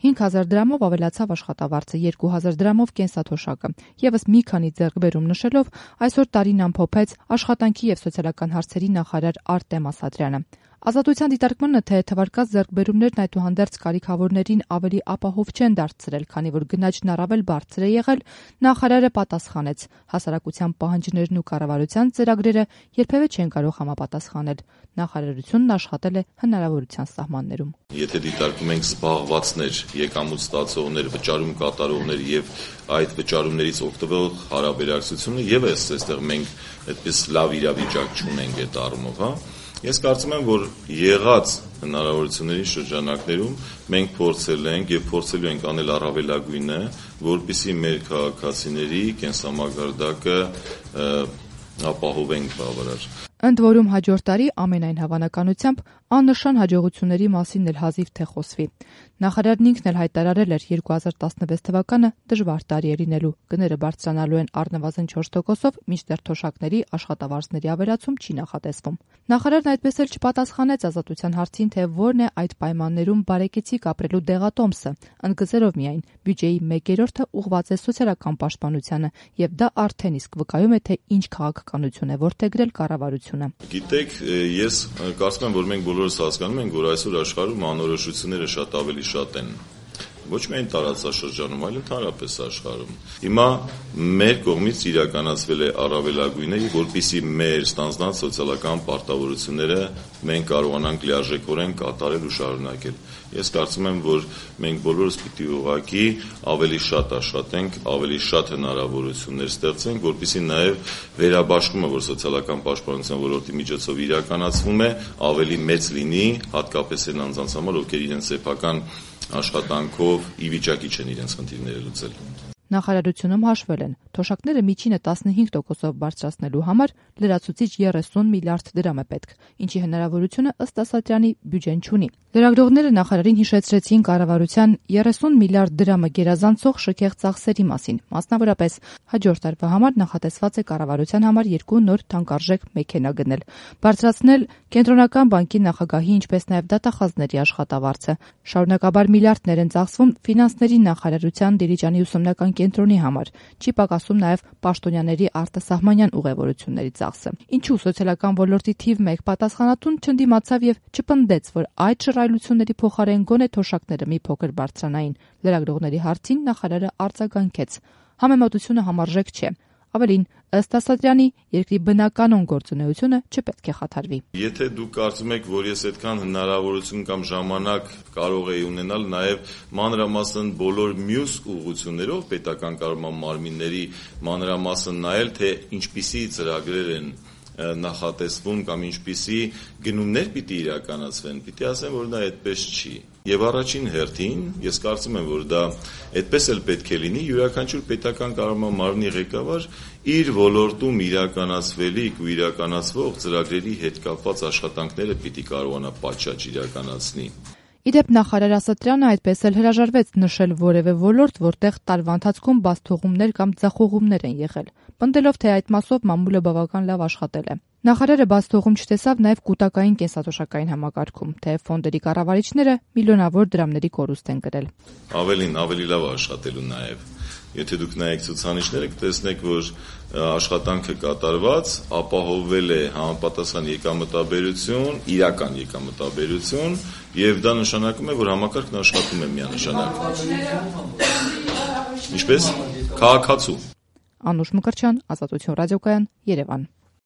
5,000 դրամով ավելացավ աշխատավարձը, 2,000 դրամով կենսաթոշակը։ Եվս մի քանի ձեռքբերում նշելով այսօր տարին ամփոփեց աշխատանքի եւ սոցիալական հարցերի նախարար Արտեմ Ասատրյանը։ Ազատության դիտարկմանը, թե թվարկած ձեռքբերումներն այդուհանդերձ կարիքավորներին ավելի ապահով չեն դարձրել, քանի որ գնաճն առավել բարձր է եղել, նախարարը պատասխանեց. հասարակության պահանջներն ու կառավարության ծրագրերը երբևէ չեն կարող համապատասխանել։ Նախարարությունն աշխատել է հնարավորության սահմաններում։ Եթե դիտարկում ենք զբաղվածներ, եկամուտ ստացողներ, վճարում կատարողներ եւ այդ վճարումներից օգտվող հարաբերակցությունը, եւս այստեղ մենք այդպես լավ իրավիճակ չունենք այդ առումով, հա։ Ես կարծում եմ, որ եղած հնարավորությունների շրջանակներում մենք փորձել ենք եւ փորձելու ենք անել առավելագույնը, որպեսզի մեր քաղաքացիների կենսամակարդակը ապահովենք բավարար։ Ընդ որում հաջորդ տարի ամենայն հավանականությամբ աննշան հաջողությունների մասին էլ հազիվ թե խոսվի։ Նախարարն ինքն էլ հայտարարել էր 2016 թվականը դժվար տարի է լինելու, գները բարձրանալու են առնվազն 4%-ով, մինչդեռ թոշակների աշխատավարձների ավելացում չի նախատեսվում։ Նախարարն այդպես էլ չպատասխանեց Ազատության հարցին, թե որն է այդ պայմաններում բարեկեցիկ ապրելու դեղատոմսը, ընդգծելով միայն բյուջեի 1/3-ը ուղղված է սոցիալական պաշտպանությանը, եւ դա արդեն իսկ վկայում է, թե ինչ քաղաքականություն է որդեգրել կառավարությունը։ Գիտեք, ես կարծում եմ, որ մենք բոլորս հասկանում ենք, որ այսօր աշխարհում անորոշությունները շատ ավելի շատ են։ Ոչ միայն տարածաշրջանում, այլ ընդհանրապես աշխարհում։ Հիմա մեր կողմից իրականացվել է առավելագույնը, որպեսզի մեր ստանձնած սոցիալական պարտավորությունները մենք կարողանանք լիարժեքորեն կատարել ու շարունակել։ Ես կարծում եմ, որ մենք բոլորս պիտի ուղղակի ավելի շատ աշխատենք, ավելի շատ հնարավորություններ ստեղծենք, որպեսզի նաև վերաբաշխումը, որ սոցիալական պաշտպանության ոլորտի միջոցով իրականացվում է, ավելի մեծ լինի, հատկապես այն անձանց համար, ովքեր իրենց սեփական աշխատանքով ի վիճակի չեն իրենց խնդիրները լուծել։ Նախարարությունում հաշվել են, թոշակները միջինը 15%-ով բարձրացնելու համար լրացուցիչ 30 միլիարդ դրամ է պետք, ինչի հնարավորությունը ըստ Ասատրյանի բյուջեն չունի։ Լրագրողները նախարարին հիշեցրեցին կառավարության 30 միլիարդ դրամը գերազանցող շքեղ ծախսերի մասին, մասնավորապես հաջորդ տարվա համար նախատեսված է կառավարության համար 2 նոր թանկարժեք մեքենա գնել, բարձրացնել կենտրոնական բանկի նախագահի, ինչպես նաև դատախազների աշխատավարձը։ Շարունակաբար միլիարդներ են ծախսվում ֆինանսների նախարարության Դիլիջանի ուսումնական կենտրոնի համար, չի պակասում նաև պաշտոնյաների արտասահմանյան ուղևորությունների ծախսը։ Ինչու սոցիալական ոլորտի թիվ 1 պատասխանատուն չընդդիմացավ եւ չպնդեց, որ այդ շռայլությունների փոխարեն գոնե թոշակները մի փոքր բարձրանային։ Լրագրողների հարցին նախարարը արձագանքեց. համեմատությունը համարժեք չէ։ Ավելին, ըստ Ասատրյանի, երկրի բնականon գործունեությունը չպետք է խաթարվի։ Եթե դուք կարծում եք, որ ես այդքան հնարավորություն կամ ժամանակ կարող էի ունենալ նաև մանրամասն բոլոր մյուս ուղղություններով պետական կառավարման մարմինների մանրամասն նայել, թե ինչպիսի ծրագրեր են նախատեսվում կամ ինչպիսի գնումներ պիտի իրականացվեն, պիտի ասեմ, որ դա այդպես չի։ Եվ առաջին հերթին, ես կարծում եմ, որ դա այդպես էլ պետք է լինի, յուրաքանչյուր պետական կառավարման մարմնի ղեկավար իր ոլորտում իրականացվելիք ու իրականացվող ծրագրերի հետ կապված աշխատանքները պիտի կարողանա պատշաճ իրականացնի։ Իդեպ նախարար Ասատրյանը այդպես էլ հրաժարվեց նշել որևէ ոլորտ, որտեղ տարվա ընթացքում բացթողումներ կամ ձախողումներ են եղել, պնդելով, թե այդ մասով մամուլը բավական լավ աշխատել է։ Նախարարը բացթողում չտեսավ նաև կൂട്ടակային կենսաթոշակային համակարգում, թե ֆոնդերի կառավարիչները միլիոնավոր դրամների կորուստ են կրել։ Ավելի լավ աշխատելու նաև։ Եթե դուք նայեք ցուցանիշները, կտեսնեք, որ աշխատանքը կատարված, ապահովվել է համապատասխան եկամտաբերություն, իրական եկամտաբերություն, եւ դա նշանակում է, որ համակարգն աշխատում է միանշանակ։ Ինչպես? Քաղաքացու։ Անուշ Մկրտչյան, Ազատություն ռադիոկայան, Երևան։